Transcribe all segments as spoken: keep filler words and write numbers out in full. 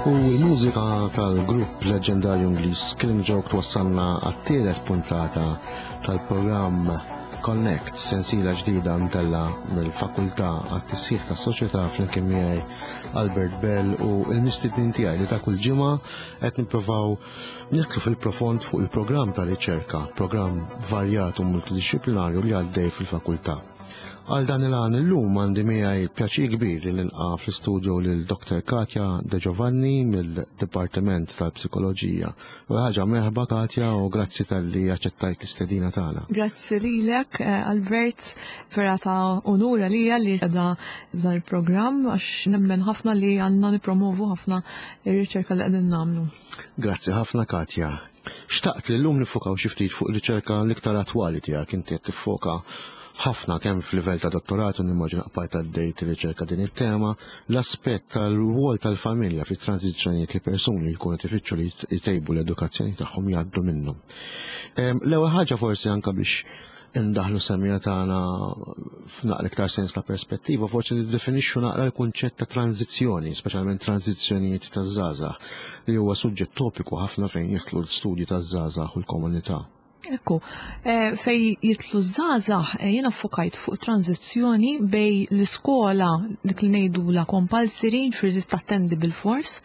U l-mużika tal-grupp leġendarju Ingliż Killing Joke twassalna għat-tielet puntata tal-programm Connect, sensiela ġdida mtella mill-Fakultà għat-Tisħiħ tas-Soċjetà flimkien miegħi Albert Bell u l-mistednin tiegħi li ta' kull ġimgħa qed nippruvaw nidħlu fil-profond fuq il-programm ta' riċerka, programm varjat u multidisciplinarju li għaddej fil-fakultà. Għal dan il-għan illum għandi miegħi pjaċir kbir li nilqa' fl-istudio lil Doktor Katja De Giovanni mill-Dipartiment tal-Psikoloġija. U ħaġa merħba, Katja, u grazzi talli aċċettajt l-istedina tagħna. Grazzi lilek, eh, Albert, vera ta' unur għalija li qiegħda dan il-programm għax nemmen ħafna li għandna nippromovu ħafna ir-riċerka li qegħdin nagħmlu. Grazzi ħafna, Katja. Xtaqt li llum nifokaw xi ftit fuq riċerka l-iktar attwali tiegħek. Inti qed tiffoka ħafna kemm f'livell ta' dottorat u nimmaġina qbajt għaddejt riċerka din it-tema, l-aspett tal-rwol tal-familja fit tranzizzjonijiet li persuni li jkunu tifittxu li jtejbu l-edukazzjoni tagħhom jgħaddu minnhom. L-ewwel ħaġa, forsi anke biex indaħlu semmiegħa tagħna f'naqra iktar sens ta' perspettiva, forsi niddefinixxu naqra l-kunċett ta' tranzizzjoni, speċjalment tranzizzjonijiet taż-żgħażagħ, li huwa suġġett topiku ħafna fejn jidħlu l-studji taż-żgħażagħ u l-komunità. Ekku, eh, fejn jidħlu żgħażagħ, eh, jiena fokajt fuq tranzizzjoni bejn l-iskola, dik li ngħidu la compulsory, ġifieri tattendi bil-fors,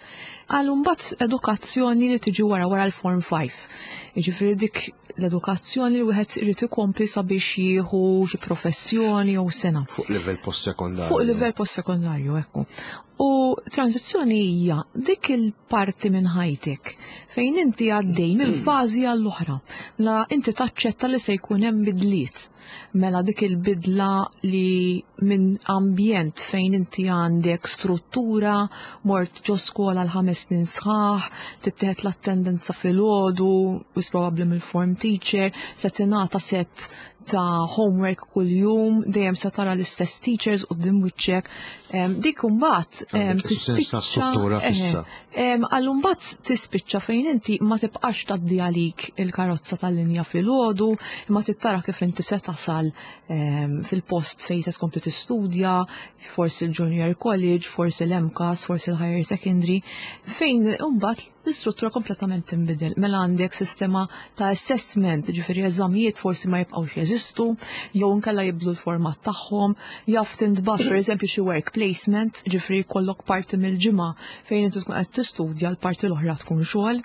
għal mbagħad edukazzjoni li tiġi wara wara l-Form five. Jiġifieri dik l-edukazzjoni li wieħed irid ikompli sabiex jieħu xi professjoni jew sena. Fuq livell post-sekondarju. Fuq livell post-sekondarju, ekku. U tranzizzjoni hija dik il-parti minn ħajtek fejn inti għaddej minn fażi għall-oħra. La inti taċċetta li se jkun hemm bidliet. Mela dik il-bidla li minn ambjent fejn inti għandek struttura, mort ġo skola l-ħames snin sħaħ, tittieħed l-attendenza filgħodu, wis probabbli mill-form teacher, se tingħata set ta' homework kull-jum, dejjem se tara l-istess teachers quddiem wiċċek. Dik imbagħad tispiċċa struttura fissa. Għal mbagħad tispiċċa fejn inti ma tibqax tgħaddi għalik il-karozza tal-linja filgħodu, imma tittara kif inti se tasal fil-post fejn se tkompli tistudja, forsi l-junior college, forsi l-M CAST, forsi l-higher secondary, fejn imbagħad l-istruttura kompletament tinbidel. Mela għandek sistema ta' assessment, ġifieri eżamijiet forsi ma jibqgħux jeżistu, jew inkella jibdlu l-format tagħhom, jaf tintbagħat pereżempju xi work placement, ġifieri jkollok parti mill-ġimgħa fejn inti tkun qed tistudja, l-parti l-oħra tkun xogħol.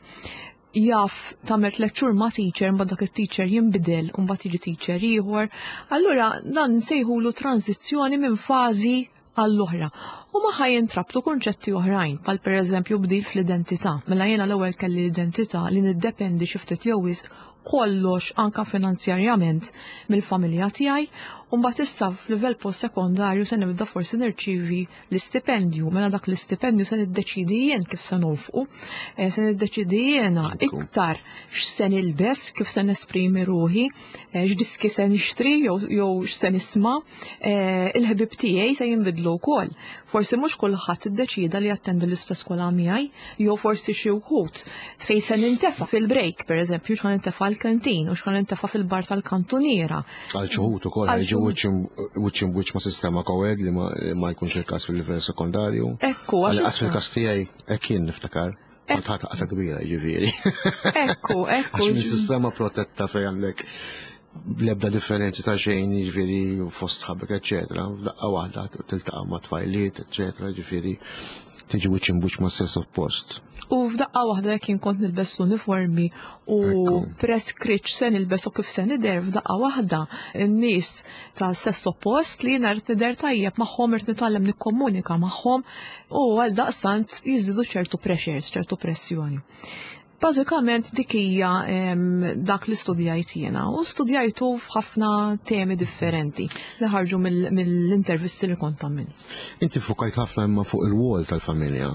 Jaf tagħmel tliet xhur ma' teacher, mbagħad dak it-teacher jinbidel u mbagħad jiġi teacher ieħor. Allura dan nsejħulu tranzizzjoni minn fażi għall-oħra. U magħha jintrabtu kunċetti oħrajn, bħal per eżempju bdil fl-identità. Mela jiena l-ewwel kelli l-identità li niddependi xi ftit jew wisq kollox, anka finanzjarjament, mill-familja tiegħi, u mbagħad issa f'livell post-sekondarju se nibda forsi nirċivi l-istipendju. Mela dak l-istipendju se niddeċidi jien kif se nonfqu, eh, se niddeċidi jiena iktar x'se nilbes, kif se nesprimi ruħi, eh, x'diski se nixtri jew x'se nisma', eh, il-ħbib tiegħi se jinbidlu wkoll. Forsi mhux kulħadd iddeċida li jattendi l-istess skola miegħi, jew forsi xi wħud fejn se nintefa' fil-break, pereżempju, x'ħa nintefa' l-kantin u x'ħa nintefa' fil-bar tal-kantuniera. Għal xi wħud ukoll jiġu wiċċ wiċċ ma' sistema co-ed li ma jkunx il-każ fil-livell sekondarju. Ekku, għax fil-każ tiegħi hekk kien, niftakar. Kont ħadt qatgħa kbira, ġifieri. Ekku, ekku. Għax minn sistema protetta fejn għandek l-ebda differenzi ta' xejn, ġifieri fost sħabek, eccetera. Daqqa waħda tiltaqa' ma' tfajliet, eccetera, ġifieri tiġi wiċċ imbuċ ma' sess oppost. U f'daqqa waħda jekk jien kont nilbes l-uniformi u preskritt se nilbes u kif se nidher, f'daqqa waħda n-nies ta' sess oppost li jiena rrid nidher tajjeb magħhom, irid nitgħallem nikkomunika magħhom u għal daqstant jiżdiedu ċertu pressures, ċertu pressjoni. Bażikament dik hija dak li studjajt jiena u studjajtu f'ħafna temi differenti li ħarġu mill-intervisti li kont għamilt. Inti fukajt ħafna imma fuq il-wol tal-familja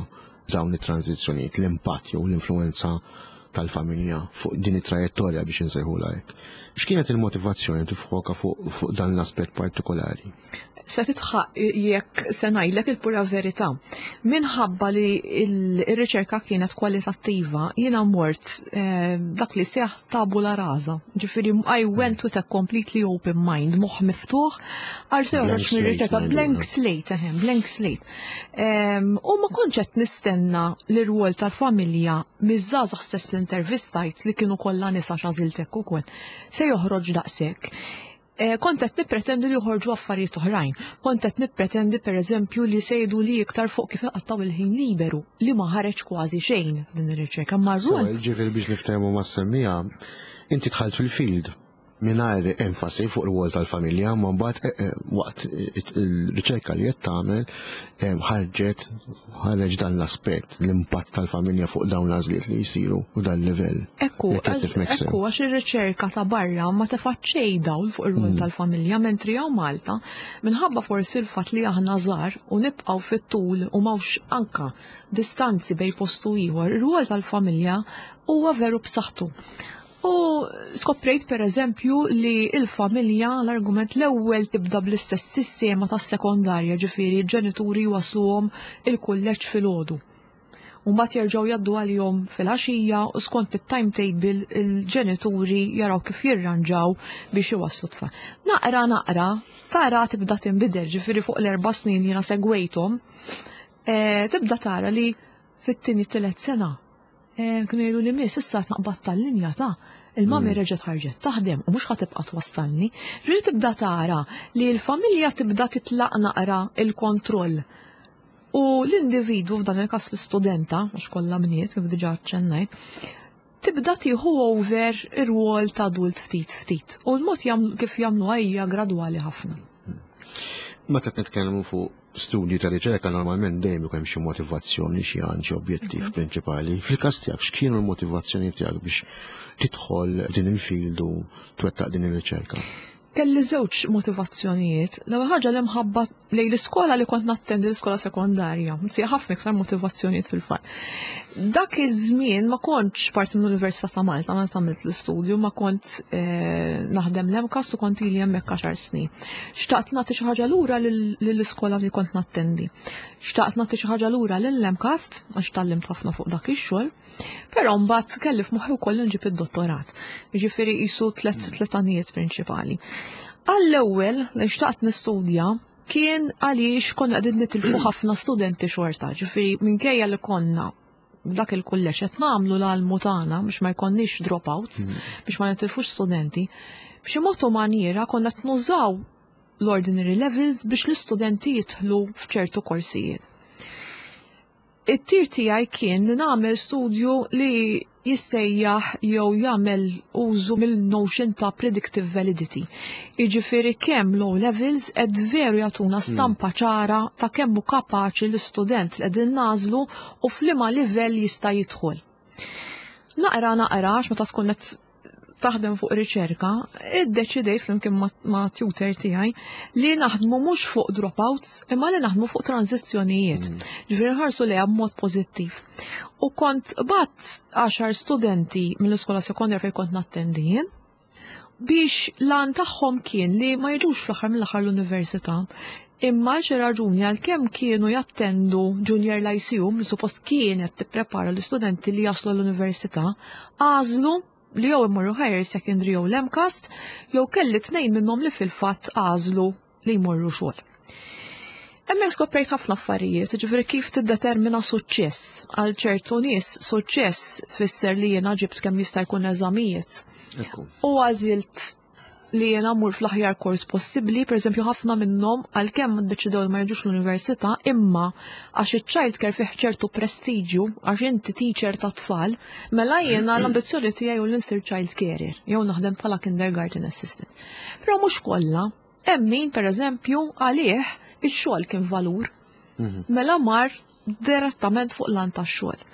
dawn it-tranzizzjonijiet, l-impatt jew l-influenza tal-familja fuq din it-trajettorja, biex insejħulha hekk. X'kienet il-motivazzjoni tiffoka fuq, fuq dan l-aspett partikolari? Se tidħaq jekk se ngħidlek il-pura verità. Minħabba li il-riċerka kienet kwalitattiva, jiena mort eh, dak li seħ tabula rasa. Ġifieri I went with a completely open mind, moħħ miftuħ, għal se joħroġ mir-riċerka blank slate, ehem, blank slate. U ma kontx qed nistenna l-rwol tal-familja miż-żgħażagħ stess l-intervistajt, li kienu kollha nisa, x'għażiltek ukoll, se joħroġ daqshekk. Eh, kont qed nippretendi li joħorġu affarijiet oħrajn. Kont qed nippretendi, pereżempju, li se jgħidu li iktar fuq kif iqattaw il-ħin liberu, li ma ħareġ kważi xejn din ir-riċerka. Ma rwol. Ġifieri biex niftehmu mas-semmiegħa, inti dħalt fil-field mingħajr enfasi fuq il-rwol tal-familja, ma mbagħad eh, eh, waqt il-riċerka li qed tagħmel ħarġet ħareġ dan l-aspett, l-impatt tal-familja fuq dawn l-għażliet li jsiru u dan livell. Ekku, ekku, għax ir-riċerka ta' barra ma tefaċċej dawl fuq ir-rwol mm. tal-familja, mentri hawn Malta, minħabba forsi l-fatt li aħna żgħar u nibqgħu fit-tul u m'hawnx anka distanzi bejn postu ieħor, ir-rwol tal-familja huwa veru b'saħħtu. U skoprejt, per eżempju, li il-familja, l-argument l-ewwel tibda bl-istess sistema tas sekondarja, ġifieri ġenituri wasluhom il-kulleġġ filgħodu. U mbagħad jerġgħu jgħaddu għalihom fil-għaxija u skont it-timetable il-ġenituri jaraw kif jirranġaw biex iwasslu tfal. Naqra naqra, tara tibda tinbidel, ġifieri fuq l-erba' snin jiena segwejthom, eh, tibda tara li fit-tieni tielet sena eh, kienu jgħidu li, "Miss, issa naqbad tal-linja ta' il-mami mm. reġgħet ħarġet taħdem u mhux ħa tibqa' twassalni." Ġifieri tibda tara li l-familja tibda titlaq naqra il-kontroll. U l-individwu, f'dan il-każ l-istudenta, mhux kollha bniet kif diġà ċċennajt, tibda tieħu over ir-rwol ta' adult ftit ftit. U l-mod kif jagħmlu hija gradwali ħafna. Meta nitkellmu fuq studji ta' riċerka, normalment dejjem ikun hemm xi motivazzjoni, xi għan, xi objettiv mhm. prinċipali. Fil-każ tiegħek, x'kienu l-motivazzjoni tiegħek biex tidħol din il-field u twettaq din ir-riċerka? Kelli żewġ motivazzjonijiet. L-ewwel ħaġa, l-imħabba lejn l-iskola li kont nattendi, l-iskola sekondarja. Nsi ħafna iktar motivazzjonijiet fil-fatt. Dak iż-żmien ma kontx parti mill-Università ta' Malta meta għamilt l-istudju, ma kont eh, naħdem l-MCAST u kont ili hemmhekk għaxar snin. Xtaqt nagħti xi ħaġa lura lill-iskola li kont nattendi. Xtaqt nagħti xi ħaġa lura lill-MCAST għax tgħallimt ħafna fuq dak ix-xogħol. Però mbagħad kelli f'moħħi wkoll nġib id-dottorat. Jiġifieri qisu tliet tliet għanijiet prinċipali. Għall-ewwel li xtaqt nistudja kien għaliex konna qegħdin nitilfu ħafna studenti xorta, ġifieri minkejja li konna dak il-kulleġġ qed nagħmlu l-almu tagħna biex ma jkollniex dropouts, mm. biex ma nitilfux studenti, b'xi mod u maniera konna qed nużaw l-ordinary levels biex l-istudenti jidħlu f'ċertu korsijiet. It-tir tiegħi kien li nagħmel studju li jissejjaħ jew jagħmel użu mill-notion ta' predictive validity. Jiġifieri kemm l-O levels qed veru jagħtuna hmm. stampa ċara ta' kemm hu kapaċi l-istudent li qegħdin nagħżlu u f'liema livell jista' jidħol. Naqra naqra, għax meta tkun qed taħdem fuq riċerka, iddeċidejt flimkien ma' tutor tiegħi li naħdmu mhux fuq dropouts imma li naħdmu fuq tranzizzjonijiet. Mm. Ġifieri nħarsu lejha b'mod pożittiv. U kont bgħatt għaxar studenti mill-iskola sekondarja fejn kont nattendi jien biex l-għan tagħhom kien li ma jiġux fl-aħħar mill-aħħar l-università, imma xi raġuni, għalkemm kienu jattendu Junior Lyceum li suppost kienet tipprepara l-istudenti li jaslu l-università, għażlu li jew imorru higher secondary jew l-MCAST, jew kelli tnejn minnhom li fil-fatt għażlu li jmorru xogħol. Hemmhekk skoprejt ħafna affarijiet, ġifieri kif tiddetermina suċċess. Għal ċertu nies suċċess fisser li jiena ġibt kemm jista' jkun eżamijiet. U għażilt li jiena mur fl-aħjar kors possibbli, per eżempju, ħafna minnhom, għalkemm ddeċidew ma jiġux l-università, imma għax iċ-child care fih ċertu prestiġju, għax inti teacher ta' tfal, mela jiena l-ambizzjoni tiegħi hu li nsir child carer, jew naħdem bħala kindergarten assistant. Però mhux kollha, hemm min, pereżempju, għalih ix-xogħol kien valur. Mhm. Mela mar direttament fuq l-għan tax-xogħol.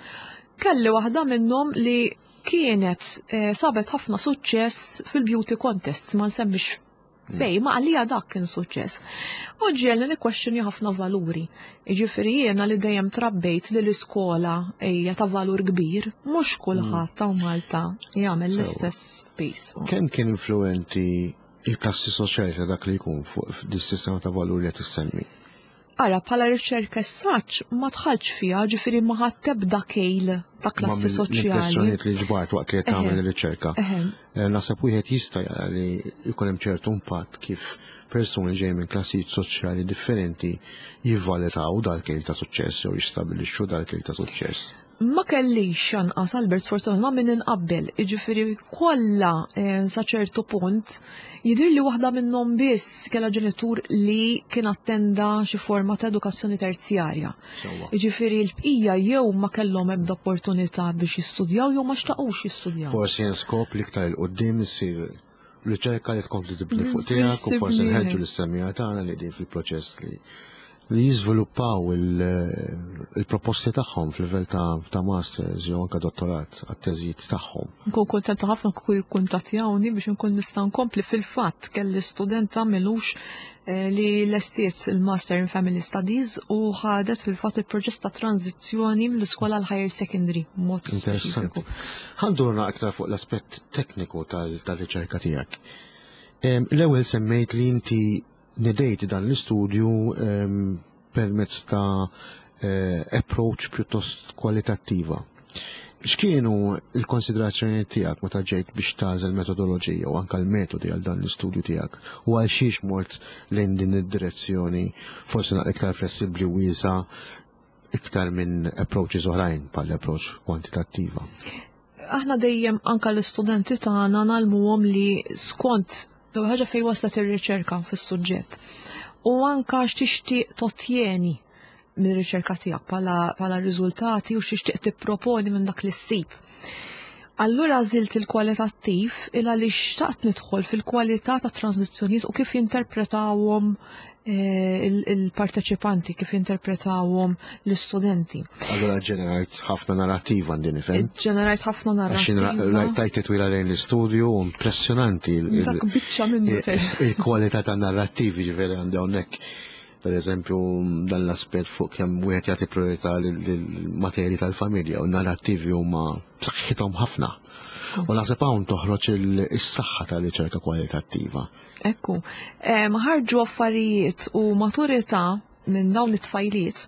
Kelli waħda minnhom li kienet eh, sabet ħafna suċċess fil-beauty contests, ma nsemmix fej, ma għalija dak kien suċċess. U ġiegħelni nikkwestjoni ħafna valuri. Ġifieri jiena li dejjem trabbejt li l-iskola hija ta' valur kbir, mhux kulħadd ta' Malta jagħmel l-istess piece. Kemm kien influenti il-klassi soċjali ta' dak li jkun fuq dis-sistema ta' valur li qed issemmi? Ara, bħala riċerka saċ ma tħalx fiha, ġifieri ma ħadd ebda kejl ta' klassi soċjali. L-impressjonijiet li ġbart waqt li qed tagħmel ir-riċerka. Eh, naħseb wieħed jista' jara li jkun hemm ċertu impatt kif persuni ġej minn klassijiet soċjali differenti jivvalutaw dal-kejl ta' suċċess jew jistabilixxu dal-kejl ta' suċċess. Ma kellix anqas, Albert, sfortunatament ma min inqabbel, jiġifieri kollha eh, sa ċertu punt jidher li waħda minnhom biss kellha ġenitur li kien attenda xi forma ta' edukazzjoni terzjarja. Jiġifieri l-bqija jew ma kellhom ebda opportunità biex jistudjaw jew ma xtaqux jistudjaw. Forsi hemm skop li iktar 'il quddiem issir riċerka li tkompli tibni fuq tiegħek u forsi nħeġġu lis-semmiegħa tagħna li din fil-proċess li li jiżviluppaw il-proposti tagħhom fil-livell ta' masters jew anke dottorat għat-teżijiet tagħhom. Nkun kontenta ħafna kieku jikkuntattjawni biex nkun nista' nkompli. Fil-fatt kelli studenta m'ilux eh, li lestiet il-Master in Family Studies u ħadet fil-fatt il-proċess ta' tranzizzjoni mill-iskola l-higher secondary mod Interessanti. Ħa ndurna aktar fuq l-aspett tekniku tal-riċerka tiegħek. L-ewwel semmejt li inti nedejt dan l-istudju permezz ta' eh, approach pjuttost kwalitattiva. X'kienu l-konsiderazzjoni tiegħek meta ġejt biex tagħżel metodoloġija u anke l-metodi għal dan l-istudju tiegħek u għal xiex mort lejn din id-direzzjoni forsi naqra iktar flessibbli u wiesa iktar minn approaches oħrajn bħal approach kwantitattiva? Aħna dejjem anka l-istudenti tagħna ngħallmuhom li skont l ħaġa fejn waslet ir-riċerka fis-suġġett. U anka x'tixtieq tottjeni mir-riċerka tiegħek bħala riżultati u x'tixtieq tipproponi minn dak li ssib. Allura għażilt il-kwalitattiv il għaliex xtaqt nidħol fil-kwalità ta' tranzizzjonijiet u kif jinterpretawhom eh, il-parteċipanti, kif jinterpretawhom l-istudenti. Allura ġenerajt ħafna narrativa għandi nifhem. Ġenerajt ħafna narrativa. Tajt titwila lejn l-istudju, impressjonanti Dak biċċa minnu. il-kwalità ta' narrativi ġifieri għandi hawnhekk. Per eżempju, dan l-aspett fuq kemm wieħed jagħti priorità lill-materji tal-familja u narrattivi huma b'saħħithom ħafna. U naħseb hawn toħroġ is-saħħa tal-riċerka kwalitattiva. Ekku, ħarġu affarijiet u maturità minn dawn it-tfajliet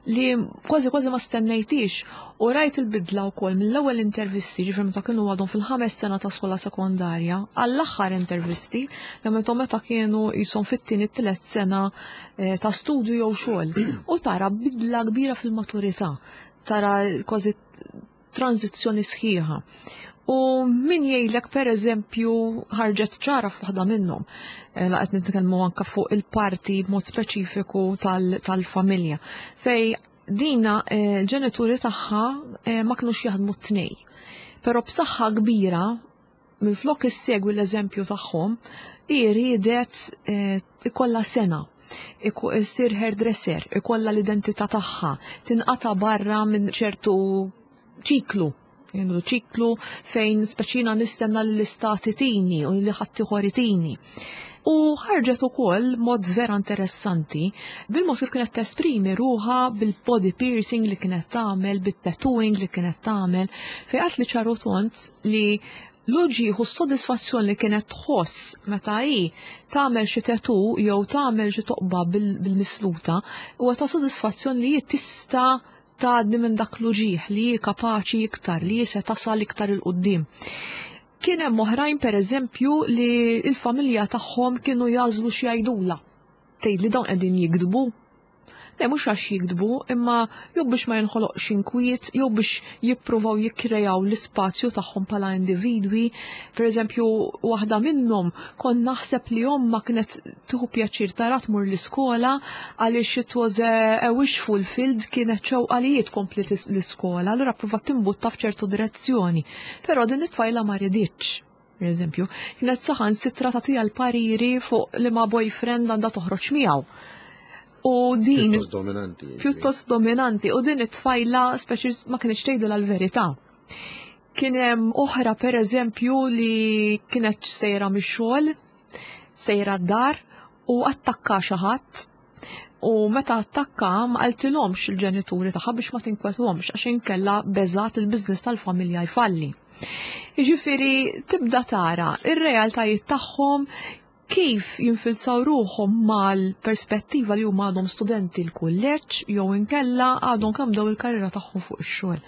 li kważi kważi ma stennejtix u rajt il-bidla wkoll mill-ewwel intervisti, ġifieri meta kienu għadhom fil-ħames sena ta' skola sekondarja, għall-aħħar intervisti li għamilthom meta kienu jisom fit-tieni tielet sena eh, ta' studju jew xogħol. U tara bidla kbira fil-maturità, tara kważi tranzizzjoni sħiħa. U min jgħidlek, per eżempju, ħarġet ċara f'waħda minnhom. Eh, la qed nitkellmu anka fuq il-parti b'mod speċifiku tal-familja. Fej dina eh, l-ġenituri tagħha eh, ma kinux jaħdmu t-tnej. Però b'saħħa kbira, minflok issegwi l-eżempju tagħhom, hi riedet ikollha sena, issir hairdresser, ikollha l-identità tagħha, tinqata barra minn ċertu ċiklu, jendu ċiklu fejn speċina nistenna l-istat itini u li ħaddieħor itini. U ħarġet ukoll mod vera interessanti bil-mod kif kienet tesprimi ruħha, bil-body piercing li kienet tagħmel, bit-tattooing li kienet tagħmel, fejn qalt li ċar u tond li l-uġigħ u s-sodisfazzjon li kienet tħoss meta hi tagħmel xi tattoo jew tagħmel xi toqba bil-misluta huwa ta' sodisfazzjon li hi tista' tgħaddi minn dak l-uġigħ, li hi kapaċi iktar, li hi se tasal iktar 'il quddiem. Kien hemm oħrajn, pereżempju, li l-familja tagħhom kienu jagħżlu x'jgħidula. Tgħid li dawn qegħdin jikdbu. Le, mhux għax jikdbu, imma jew biex ma jinħoloqx inkwiet, jew biex jippruvaw jikkrejaw l-ispazju tagħhom bħala individwi. Per eżempju, waħda minnhom kon naħseb li omma kienet tieħu pjaċir tara tmur l-iskola għaliex it was a, a wish fulfilled, kienet xewqa li tkompli l-iskola, allura provat timbutta f'ċertu direzzjoni. Però din it-tfajla ma riditx. Per eżempju, kienet saħansitra tagħtiha l-pariri fuq li ma boyfriend għandha toħroġ miegħu. U din Pjuttost dominanti. Pjuttost dominanti. U din it-tfajla speċi ma kienx tgħidilha l-verità. Kien hemm oħra, per eżempju, li kienet sejra mix-xogħol, sejra d-dar u attakka xi ħadd. U meta attakka ma qaltilhomx il-ġenituri tagħha biex ma tinkwetuhomx, għax inkella beżat il-business tal-familja jfalli. Jiġifieri tibda tara ir-realtajiet tagħhom. Kif jinfilzaw ruħhom mal-perspettiva li huma għadhom studenti l-kulleġġ jew inkella għadhom kemm bdew il-karriera tagħhom fuq ix-xogħol.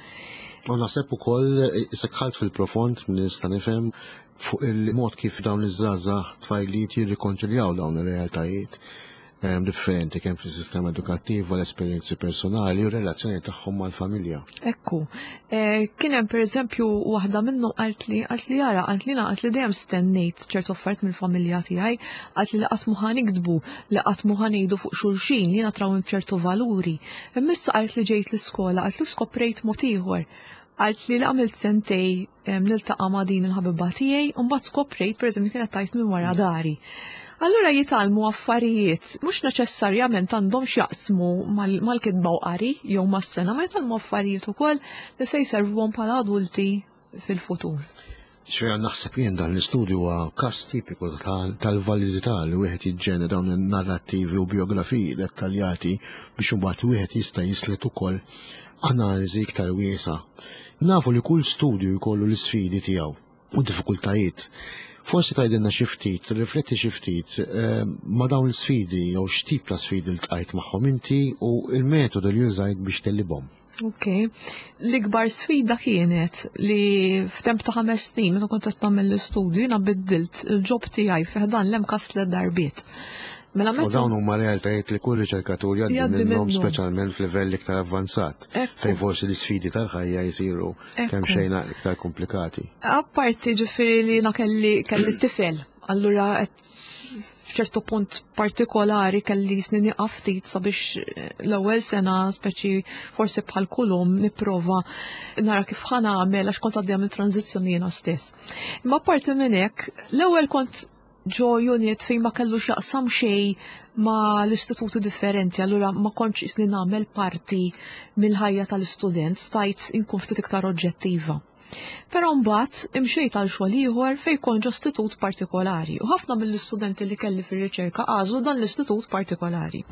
U naħseb ukoll dħalt fil-profond, nista' nifhem fuq il-mod kif dawn iż-żgħażagħ, tfajliet jirrikonċiljaw dawn ir-realtajiet differenti kemm fis-sistema edukattiva, l-esperjenzi personali u relazzjoni tagħhom mal-familja. Ekku. E, kien hemm pereżempju waħda minnhom qalt li qalt li jara qalt li qalt li dejjem stennejt ċertu affarijiet mill-familja tiegħi, qalt li qatt mhu nikdbu, li qatt mhu ngħidu fuq xulxin, jiena trawwimt ċertu valuri. Imma issa, qalt li, ġejt l-iskola, qalt li skoprejt mod ieħor. Qalt li li għamilt sentejn niltaqa' ma' din il-ħabiba tiegħi u mbagħad skoprejt, pereżempju, kienet tgħid minn wara dari. Allura jitgħallmu affarijiet, mhux neċessarjament għandhom x'jaqsmu mal-kitba u qari jew mas-sengħa, ma jitgħallmu affarijiet ukoll li se jservuhom bħala adulti fil-futur. Xejn naħseb jien dan l-istudju huwa każ tipiku tal-validità li wieħed jiġġenera dawn in-narrattivi u biografiji dettaljati biex imbagħad wieħed jista' jislet ukoll analiżi iktar wiesa. Nafu li kull studju jkollu l-isfidi tiegħu u diffikultajiet. Forsi tgħidilna xi ftit, rifletti xi ftit eh, ma' dawn l-sfidi jew x'tip ta' sfidi ltqajt magħhom inti u il-metodu li użajt biex tegħlibhom. Ok. L-ikbar sfida kienet li f'temp ta' ħames snin meta kont qed nagħmel l-istudju jiena biddilt il-job tiegħi fi ħdan l-MCAST tliet darbiet. Mela u dawn huma realtajiet li kull riċerkatur jgħaddi minnhom, speċjalment f'livell iktar avvanzat, fejn forsi l-isfidi tal-ħajja jsiru kemm xejn iktar komplikati. Apparti ġifieri li jiena kelli kelli tifel, allura qed f'ċertu punt partikolari kelli snin nieqaf ftit sabiex l-ewwel sena, speċi forsi bħal kull omm, nipprova nara kif ħa nagħmel għax kont għaddejja minn tranzizzjoni jiena stess. Imma apparti minn hekk, l-ewwel kont ġo unit fejn ma kellu x'jaqsam xejn ma l-istituti differenti, allura ma kontx qisni nagħmel parti mill-ħajja tal-istudent, stajt inkun ftit iktar oġġettiva. Però mbagħad imxejt għal xogħol ieħor fejn kont ġo istitut partikolari u ħafna mill-istudenti li kelli fir-riċerka għażlu dan l-istitut partikolari.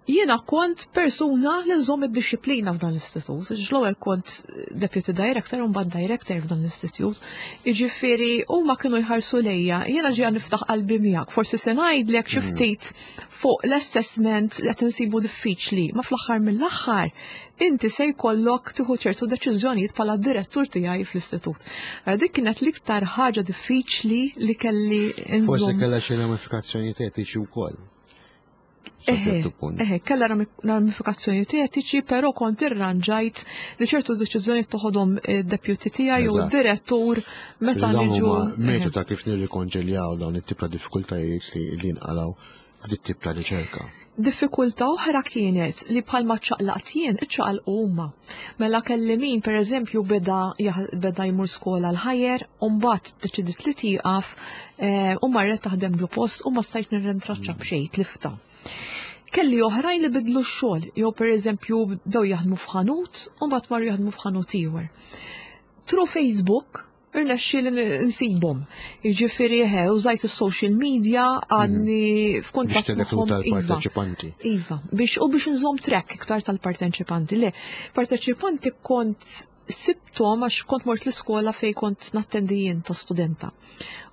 Jiena kont persuna li nżomm id-disciplina f'dan l-istitut. L-ewwel kont deputy director u mbagħad director f'dan l-istitut. Jiġifieri huma kienu jħarsu lejja, jiena ġejja niftaħ qalbi miegħek, forsi se ngħidlek xi ftit fuq l-assessment li qed insibu diffiċli, ma fl-aħħar mill-aħħar inti se jkollok tieħu ċertu deċiżjonijiet bħala direttur tiegħi fl-istitut. Dik kienet l-iktar ħaġa diffiċli li kelli nżomm. Forsi kellha xi ramifikazzjonijiet etiċi wkoll. Eħe, eħe, kella ramifikazzjoni etiċi, però kont irranġajt li ċertu deċiżjoni toħodhom deputy tiegħi u direttur meta niġu. Metodu ta' kif nirrikonċiljaw dawn it-tip ta' diffikultajiet li nqalgħu f'dit tip ta' riċerka. Diffikultà oħra kienet li bħalma ċaqlaqt jien, iċċaqalqu huma. Mela kelli min pereżempju beda beda jmur skola l-higher, u mbagħad deċidiet li tieqaf eh, u marret taħdem ġo post u ma stajt nirrintraċċa b'xejn, tliftha. Kelli oħrajn li bidlu x-xogħol, jew pereżempju bdew jaħdmu f'ħanut u mbagħad marru jaħdmu f'ħanut ieħor. Through Facebook irnexxieli nsibhom. Jiġifieri eħe, użajt is-social media, għadni mhm. f'kuntatt magħhom. Tal-parteċipanti. Iva, biex u biex nżomm track iktar tal-parteċipanti. Le, parteċipanti kont sibtom għax kont mort l-iskola fej kont nattendi jien ta' studenta.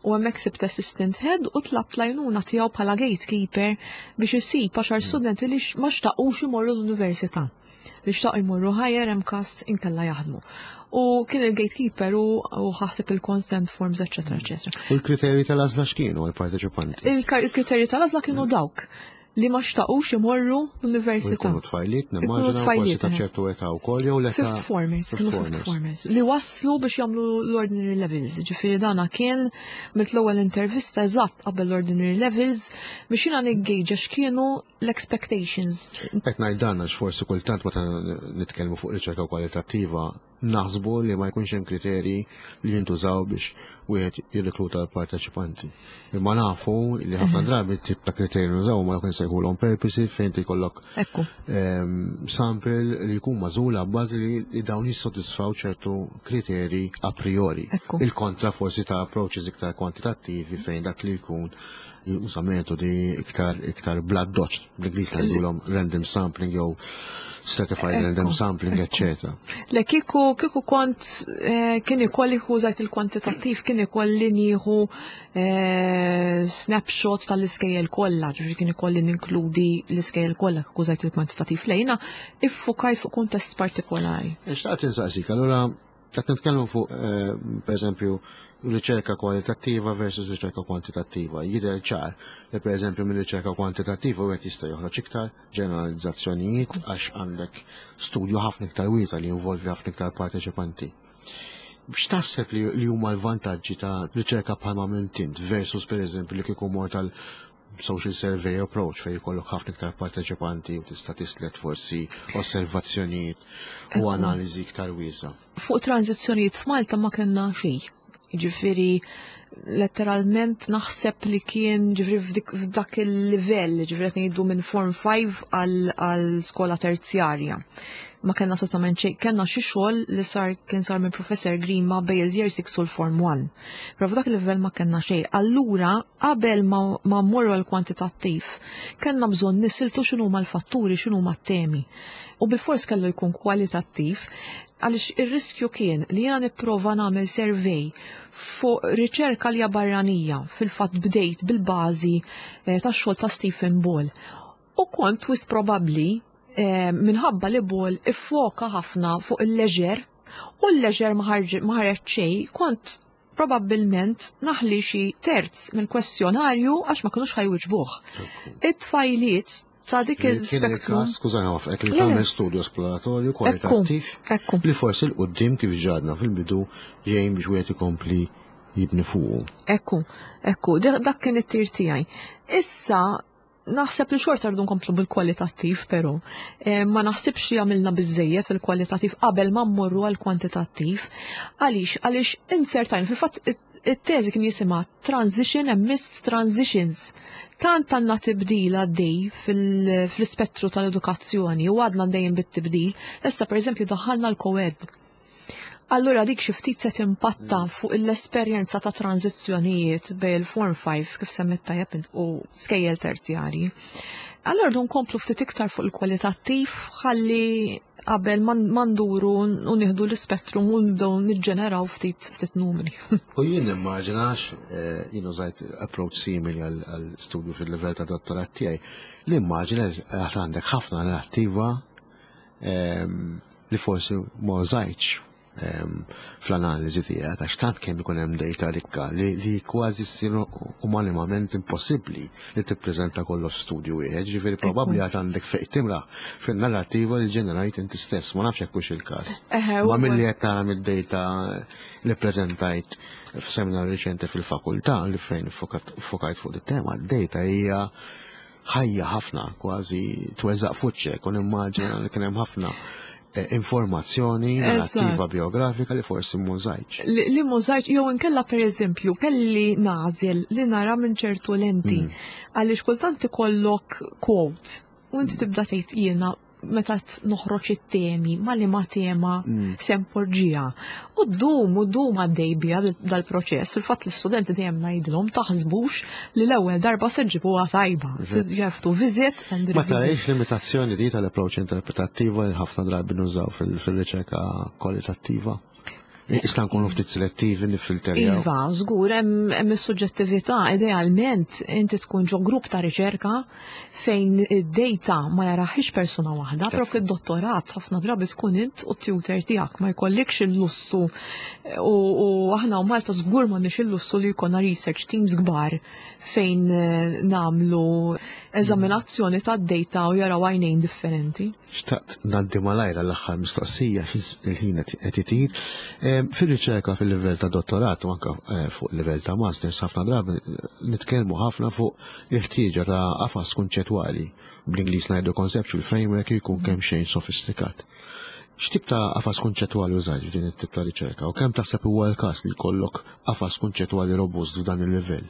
U hemmhekk sibt assistant head u tlabt l-għajnuna tiegħu bħala gatekeeper biex isib għaxar mm. studenti li ma xtaqux imorru l-università, li xtaqu jmorru higher, MCAST, inkella jaħdmu. U kien il-gatekeeper u ħaseb il-consent forms, eccetera, eccetera. U l-kriterji tal-għażla x'kienu għal-parteċipanti? Il-kriterji tal-għażla kienu dawk li ma xtaqux imorru l-università. Kienu tfajliet, nimmaġina, forsi ta' ċertu età wkoll jew l-età. Fifth formers, kienu fifth formers. Li waslu biex jagħmlu l-ordinary levels. Ġifieri dana kien mill-ewwel intervista eżatt qabel l-ordinary levels biex jiena niggejġa x'kienu l-expectations. Qed ngħid dan għax forsi kultant meta nitkellmu fuq riċerka kwalitattiva naħsbu li ma jkunx hemm kriterji li jintużaw biex wieħed jirrekluta l-parteċipanti. Imma nafu li ħafna drabi tip ta' kriterji nużaw ma jkun sejħulhom purposive, fejn jkollok ehm, sample li jkun magħżul bażi li dawn jissodisfaw ċertu kriterji a priori. Il-kontra forsi ta' approaches iktar kwantitattivi fejn dak li jkun juża metodi iktar iktar bl-addoċċ, bl-Ingliż ngħidulhom random sampling jew stratified random sampling, eccetera. Le, kieku kieku kont eh, kien ikolli użajt il-kwantitattiv. kien ikolli nieħu eh, snapshot tal-iskejjel kollha, ġifieri kien ikolli ninkludi l-iskejjel kollha kieku użajt il-kwantitattiv lejna, iffukajt fuq kuntest partikolari. Xtaqt insaqsik, allura qed nitkellmu fuq eh, per eżempju riċerka kwalitattiva versus riċerka kwantitattiva. Jidher ċar li per eżempju minn riċerka kwantitattiva wieħed jista' joħroġ iktar ġeneralizzazzjonijiet għax għandek studju ħafna iktar wiesa' li jinvolvi ħafna iktar parteċipanti. X'taħseb li, li huma l-vantaġġi ta' riċerka bħalma għamilt int versus per eżempju li kieku mort tal social survey approach fejn jkollok ħafna iktar parteċipanti u tista' tislet forsi osservazzjonijiet u analiżi iktar wiesa'? Fuq tranzizzjonijiet f'Malta ma kellna xejn. Ġifieri letteralment naħseb li kien ġifieri f'dik- f'dak il-livell, ġifieri qed ngħidu minn Form five għal għal skola terzjarja. Ma kellna assolutament xejn, kellna xi xogħol li sar kien sar minn Professor Grima bejn il-Year six u l-Form one. Però f'dak il-livell ma kellna xejn. Allura, qabel ma, ma mmorru għal kwantitattiv, kellna bżonn nisiltu x'inhuma l-fatturi, x'inhuma t-temi. U bil-fors kellu jkun kwalitattiv, għaliex ir-riskju kien li jiena nipprova nagħmel survey fuq riċerka li hija barranija, fil-fatt bdejt bil-bażi eh, tax-xogħol ta' Stephen Ball. U kont wisq probabbli eh, minħabba li Ball iffoka ħafna fuq il-leisure u l-leisure ma ħarġ- ma ħareġ xejn, kont probabbilment naħli xi terz mill-kwestjonarju għax ma kinux ħa jwiġbuh. It-tfajliet ta' dik Kien il-spektrum. il-każ, skużani waqfek, li Le, le. tagħmel studju esploratorju kwalitattiv Ekku. li forsi 'l quddiem, kif għedna fil-bidu, jgħin biex wieħed ikompli jibni fuqu. Ekku, ekku, dak kien it-tir tiegħi. Issa naħseb li xorta rridu nkomplu bil-kwalitattiv, però eh, ma naħsibx li għamilna biżejjed fil-kwalitattiv qabel ma mmorru għal kwantitattiv. Għaliex, għaliex insertajn, fil-fatt it-teżi kien jisimha Transition and Missed Transitions. Tant għandna tibdil għaddej fil-spettru tal-edukazzjoni u għadna dejjem bit-tibdil. Issa, per eżempju, daħħalna l-co-ed. Allura dik xi ftit se timpatta mm. fuq l-esperjenza ta' tranzizzjonijiet bejn il-Form five, kif semmit tajjeb, u skejjel terzjari. Allura rridu nkomplu ftit iktar fuq il-kwalitattiv ħalli qabel ma nduru u nieħdu l-ispettrum u nibdew niġġeneraw ftit ftit numri. U jien nimmaġinax, eh, jien użajt approach simili għal studju fil-livell ta' dottorat tiegħi, li immaġina għad għandek ħafna narrattiva ehm, li forsi ma użajtx fl-analiżi tiegħek, għax tant kemm ikun hemm data rikka li, li kważi ssir umanament impossibbli li tippreżenta kollox studju wieħed, ġifieri probabbli għad għandek fejn timla fin-narrattiva li ġenerajt inti stess, ma nafx jekk hux il-każ. Ma milli qed nara mid-data li preżentajt f'seminar riċenti fil-fakultà li fejn fokajt fuq it-tema, d-data hija ħajja ħafna, kważi tweżaq f'wiċċek, u nimmaġina li kien hemm ħafna eh, informazzjoni narrativa biografika li forsi m'użajtx. Li m'użajtx, jew inkella, per eżempju, kelli nagħżel li nara minn ċertu lenti. Mm. Għaliex kultant ikollok quote u inti tibda tgħid, jiena meta noħroġ it-temi, ma li ma tema mm. se npoġġiha. U ddum, u ddum għaddej bija dal-proċess. Fil-fatt l-istudenti dejjem ngħidilhom, taħsbux li l-ewwel darba se ġibuha tajba. You have to visit and Ma tarajx limitazzjoni di tal-approach interpretattiva li ħafna drabi nużaw fil-riċerka kwalitattiva? Issa nkunu ftit selettivi, nifilterjaw. Iva, żgur, hemm hemm is-suġġettività. Idealment inti tkun ġo grupp ta' riċerka fejn id-data ma jaraħix persuna waħda, però fid-dottorat ħafna drabi tkun int u t-tutor tiegħek, ma jkollikx il-lussu u, u aħna u Malta żgur m'għandniex il-lussu li jkollna research teams kbar fejn eh, nagħmlu eżaminazzjoni tad-data u jaraw għajnejn differenti. Xtaqt ngħaddi malajr l-aħħar mistoqsija, il-ħin qed itir. Fil-riċerka fil-livell ta' dottorat u anka eh, fuq livell ta' masters, ħafna drabi nitkellmu ħafna fuq il-ħtieġa ta' qafas kunċettwali, bl-Ingliż ngħidu conceptual framework, jkun kemm xejn sofistikat. X'tip ta' qafas kunċettwali użajt f'din it-tip ta' riċerka u kemm taħseb huwa l-każ li jkollok qafas kunċettwali robust f'dan il-livell?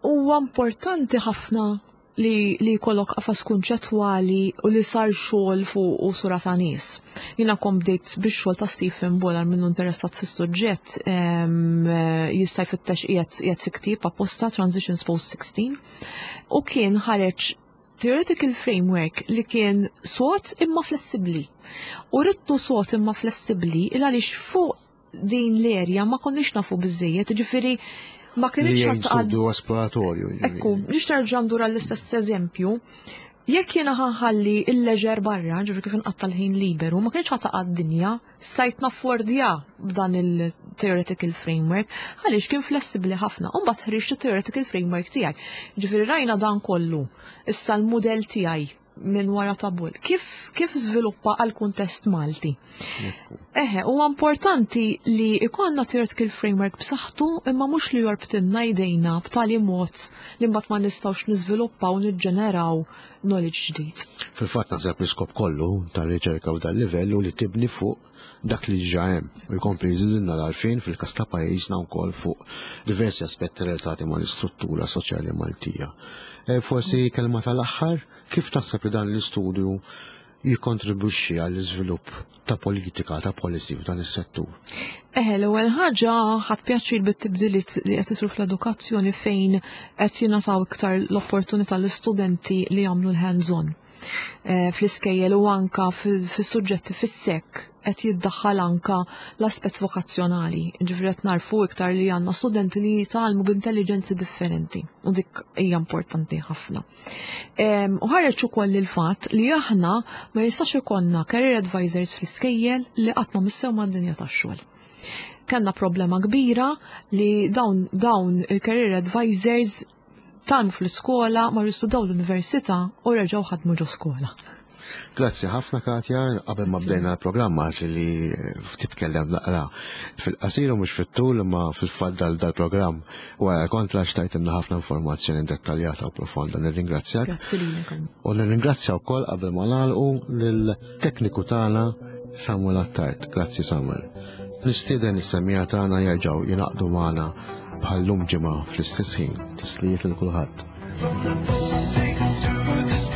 Huwa importanti ħafna li li jkollok qafas kunċettwali u li sar xogħol fuq u sura ta' nies. Jiena kom bdejt bix-xogħol ta' Stephen Ball, minnu interessat fis-suġġett jista' jfittex, qiegħed qiegħed fi ktieb apposta, Transitions Post sixteen, u kien ħareġ theoretical framework li kien sod imma flessibli. U ridtu sod imma flessibli il għaliex fuq Din l-erja ma konniex nafu biżejjed, ġifieri ma Li kienx jgħin studju esploratorju. Ekku, nix nerġa' ndur għall-istess eżempju, jekk jiena ħa nħalli il-leisure barra, ġifieri kif inqatta' l-ħin liberu, ma kienx ħa taqa' d-dinja, stajt naffordja b'dan il-theoretical framework, għaliex kien flessibli ħafna, u mbagħad ħriġt il-theoretical framework tiegħi. Ġifieri rajna dan kollu, issa l-mudell tiegħi minn wara tabul. Kif, kif żviluppa għal kuntest Malti? Eħe, huwa importanti li ikollna theoretical framework b'saħħtu, imma mhux li jorbtinna jdejna b'tali mod li mbagħad ma nistgħux niżviluppaw u niġġeneraw knowledge ġdid. Fil-fatt naħseb l-iskop kollu tar-riċerka u dal-livell u li tibni fuq dak li ġa hemm u jkompli jżidilna l-għarfien fil-każ ta' pajjiżna wkoll fuq diversi aspetti relatati mal-istruttura soċjali Maltija. E, Forsi kelma tal-aħħar, kif taħseb li dan l-istudju jikkontribwixxi għall-iżvilupp ta' politika, ta' policy f'dan is-settur? Eħe, l-ewwel ħaġa, ħadt pjaċir bit-tibdiliet li qed isiru fl-edukazzjoni fejn qed jingħataw iktar l-opportunità l-istudenti li jagħmlu l-hands-on. Eh, Fl-iskejjel u anka fis-suġġetti fis-S E C qed jiddaħħal anka l-aspett vokazzjonali. Ġifieri qed narfu iktar li għandna studenti li jitgħallmu b'intelligenzi differenti u dik hija importanti ħafna. Em, U ħareġ ukoll il-fatt li aħna ma jistax ikollna career advisors fl-iskejjel li qatt ma missew mad-dinja tax-xogħol. Kellna problema kbira li dawn, dawn il-career advisors tgħallmu fl-iskola, marru studaw l-università u reġgħu ħadmu ġo skola. Grazzi ħafna, Katja. Qabel ma bdejna l-programma għax li ftit tkellem naqra fil-qasir u mhux fit-tul, imma fil-fatt dal dal-programm wara kontra xtajt ħafna informazzjoni dettaljata u profonda. Nirringrazzjak. Grazzi lilek. U nirringrazzja wkoll, qabel ma nagħlqu, lill-tekniku tagħna Samuel Attard. Grazzi, Samuel. Nistieden is-semmiegħa tagħna jerġgħu jingħaqdu magħna bħal-lum ġimgħa fl-istess ħin. Tislijiet lil kulħadd. From the Baltic to the